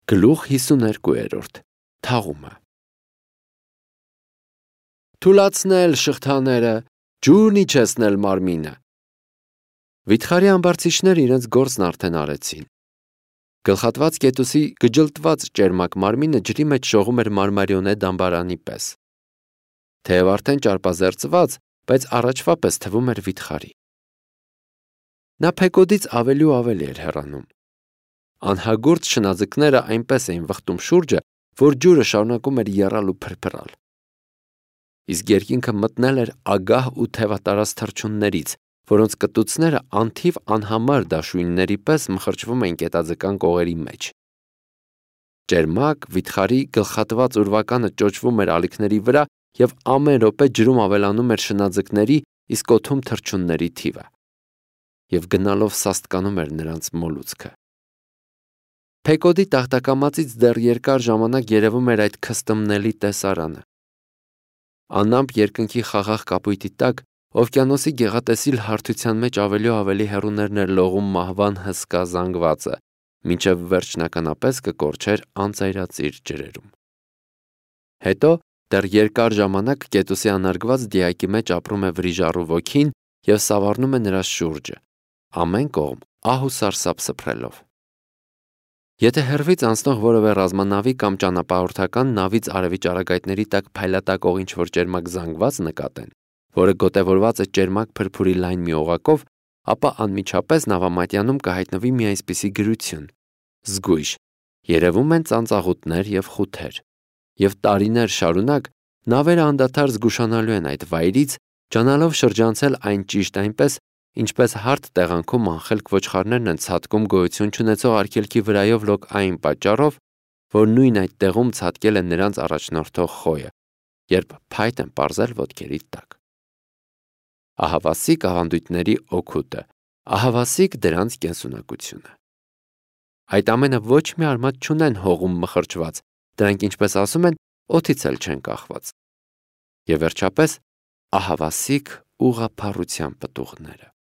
Գլուխ 52 Թաղումը Թուլացնել շղթաները, ջուրն իջեցնել մարմինը։ Վիթխարի ամբարձիչները իրենց գործն արդեն արեցին։ Գլխատված կետուսի գջլտված ճերմակ մարմինը ջրի մեջ շողում էր մարմարիոնե դամբարանի պես։ Թեև արդեն ճարպազերծված, բայց առաջվա պես թվում էր վիթխարի։ Նա Փեկոդից ավելի ու ավելի էր հեռանում։ Անհագուրդ շնաձկները այնպես էին վխտում շուրջը, որ ջուրը շարունակում էր եռալ ու փրփրալ։ Իսկ երկինքը մտնել էր ագահ ու թևատարած թռչուններից, որոնց կտուցները անթիվ անհամար դաշույնների պես մխրճվում էին կետաձկան կողերի մեջ։ Ճերմակ վիթխարի գլխատված ուրվականը ճոճվում էր ալիքների վրա և ամեն րոպե ջրում ավելանում էր շնաձկների, իսկ օդում թռչունների թիվը։ Եվ գնալով սաստկանում էր նրանց մոլուցքը։ Փեկոդի տախտակամածից դեռ երկար ժամանակ երևում էր այդ քստմնելի տեսարանը։ Անամպ երկնքի խաղաղ կապույտի տակ օվկիանոսի գեղատեսիլ հարթության մեջ ավելի ու ավելի հեռուներն էր լողում մահվան հսկա զանգվածը, մինչև վերջնականապես կկորչեր անծայրածիր ջրերում։ Հետո դեռ երկար ժամանակ կետուսի անարգված դիակի մեջ ապրում է վրիժառու ոգին և սավառնում է նրա շուրջը, ամեն կողմ ահ ու սարսափ սփռելով։ Եթե հեռվից անցնող որևէ ռազմանավի կամ ճանապարհորդական նավից արևի ճառագայթների տակ փայլատակող ինչ-որ ճերմակ զանգված նկատեն, որը գոտևորված է ճերմակ փրփուրի լայն մի օղակով, ապա անմիջապես նավամատյանում կհայտնվի մի այսպիսի գրություն. զգույշ, երևում են ծանծաղուտներ և խութեր, և տարիներ շարունակ նավերը անդադար զգուշանալու են այդ վայրից, ջանալով շրջանցել այն ճիշտ այնպես, ինչպես հարթ տեղանքում անխելք ոչխարներն են ցատկում գոյություն չունեցող արգելքի վրայով լոկ այն պատճառով, որ նույն այդ տեղում ցատկել է նրանց առաջնորդող խոյը, երբ փայտ են պարզել ոտքերի տակ։ Ահավասիկ ավանդույթների օգուտը, ահավասիկ դրանց կենսունակությունը։ Այդ ամենը ոչ մի արմատ չունեն հողում մխրճված, դրանք, ինչպես ասում են, օդից էլ չեն կախված։ Եվ վերջապես ահավասիկ ուղղափառության պտուղները։